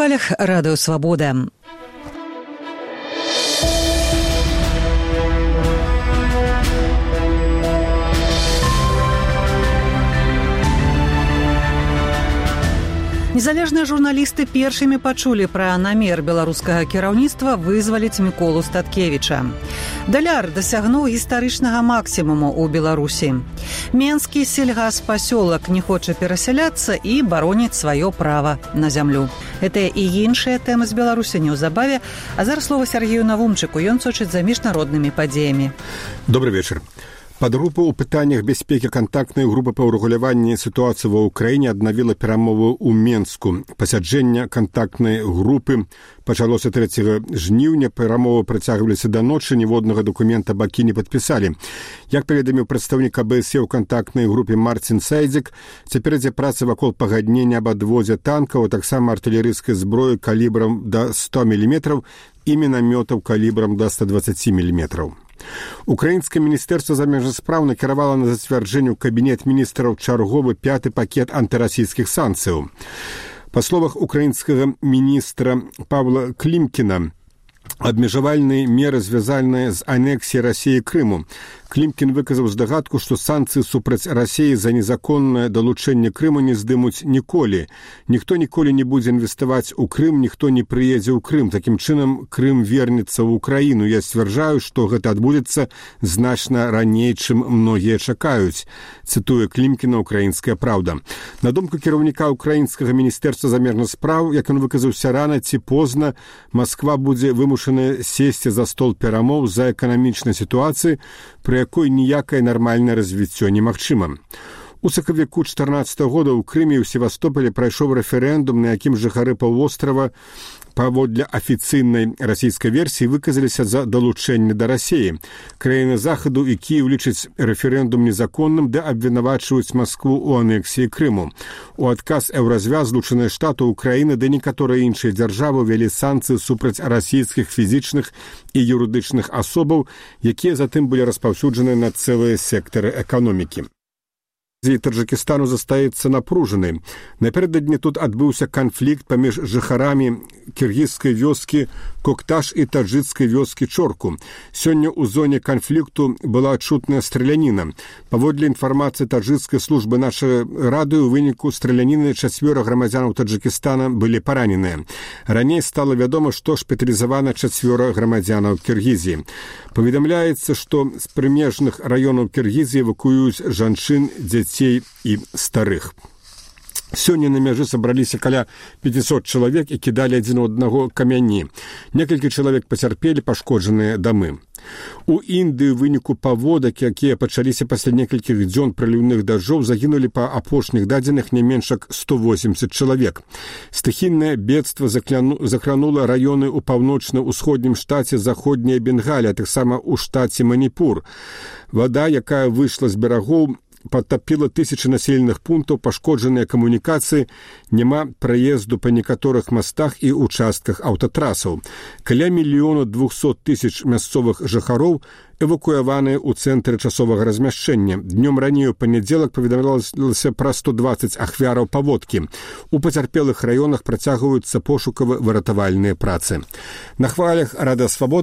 хвалях радыё «Свабода». Незалежныя журналісты першымі пачулі пра намер беларускага кіраўніцтва вызваліць Міколу Статкевіча. Даляр дасягнуў гістарычнага максімуму ў Беларусі. Менскі сельгаспасёлак не хоча перасяляцца і бароніць сваё права на зямлю. Гэтыя і іншыя тэмы з Беларусі неўзабаве, а зараз слова Сергею Навумчыку, ён сочыць за міжнароднымі падзеямі. Добрый вечар. Падгрупа ў пытаннях бяспекі кантактнай групы па ўрэгуляванні сітуацыі ва ўкраіне аднавіла перамовы ў Менску. Пасяджэнне кантактнай групы пачалося 3 жніўня, перамовы працягваліся да ночы, ніводнага дакумента бакі не падпісалі. Як паведаміў прадстаўнік АБСЕ ў кантактнай групе Марцін Сайдзік, цяпер ідзе праца вакол пагаднення аб адвозе танкаў, а таксама артылерыйскай зброі калібрам да 100 мм і мінамётаў калібрам да 120 мм. Украінскае міністэрства замежных спраў накіравала на зацвярджэнне ў кабінет міністраў чарговы 5-й пакет антырасійскіх санкцыяў. Па словах украінскага міністра Павла Клімкіна, абмежавальныя меры звязаныя з анексіяй Расіі Крыму. Клімкін выказаў здагадку, што санкцыі супраць Расіі за незаконнае далучэнне Крыму не здымуць ніколі. Ніхто ніколі не будзе інвеставаць у Крым, ніхто не прыедзе ў Крым. Такім чынам, Крым вернецца ў Украіну. Я сцвярджаю, што гэта адбудзецца значна раней, чым многія чакаюць. Цытуе Клімкіна «Украінская праўда». На думку кіраўніка украінскага міністэрства замежных спраў, як ён выказаўся рана ці позна, Масква будзе вымушана сесці за стол перамоў за эканамічнай сітуацыі, пры якой ніякае нармальнае развіццё немагчыма. У сакавіку 2014 года ў Крыме і ў Севастополі прайшоў рэферэндум, на якім жыхары паўвострава паводле афіцыйнай расійскай версіі выказаліся за далучэнне да Расіі. Краіны Захаду і Кіеў лічаць рэферэндум незаконным, ды абвінавачваюць Маскву ў анексіі Крыму. У адказ Еўразвяз, Злучаныя Штаты, Украіна ды некаторыя іншыя дзяржавы ўвялі санкцыі супраць расійскіх фізічных і юрыдычных асобаў, якія затым былі распаўсюджаны на цэлыя сектары эканомікі. Таджикистану застаецца напружанай. Напярэдадні тут адбыўся канфлікт паміж жыхарамі кіргізскай вёскі Кокташ і таджыкскай вёскі Чорку. Сёння ў зоне канфлікту была адчутная страляніна. Паводле інфармацыі таджыкскай службы нашай радыё, у выніку страляніны 4 грамадзянаў Таджикистана былі параненыя. Раней стала вядома, што шпіталізавана 4 грамадзянаў Кіргізіі. Паведамляецца, што з прымежных раёнаў Кіргізіі эвакуююць жанчын, дзяцей і старых. Сёння на мяжы сабраліся каля 500 чалавек і кідалі адзін у аднаго камяні. Некалькі чалавек пацярпелі пашкоджаныя дамы. У Індыі ў выніку паводак, якія пачаліся пасля некалькіх дзён праліўных дажджоў, загінулі па апошніх дадзеных не менш як 180 чалавек. Стыхійнае бедства закранула раёны ў паўночна-ўсходнім штаце Заходняя Бенгалія, таксама ў штаце Маніпур. Вада, якая выйшла з берагоў, падтапіла тысячы населеных пунктаў, пашкоджаныя камунікацыі, няма праезду па некаторых мастах і ўчастках аўтатрасаў. Каля 1 200 000 мясцовых жыхароў эвакуяваныя ў цэнтры часовага размяшчэння. Днём раней у панядзелак паведамлялася пра 120 ахвяраў паводкі. У пацярпелых раёнах працягваюцца пошукава-выратавальныя працы. На хвалях радыё «Свабода»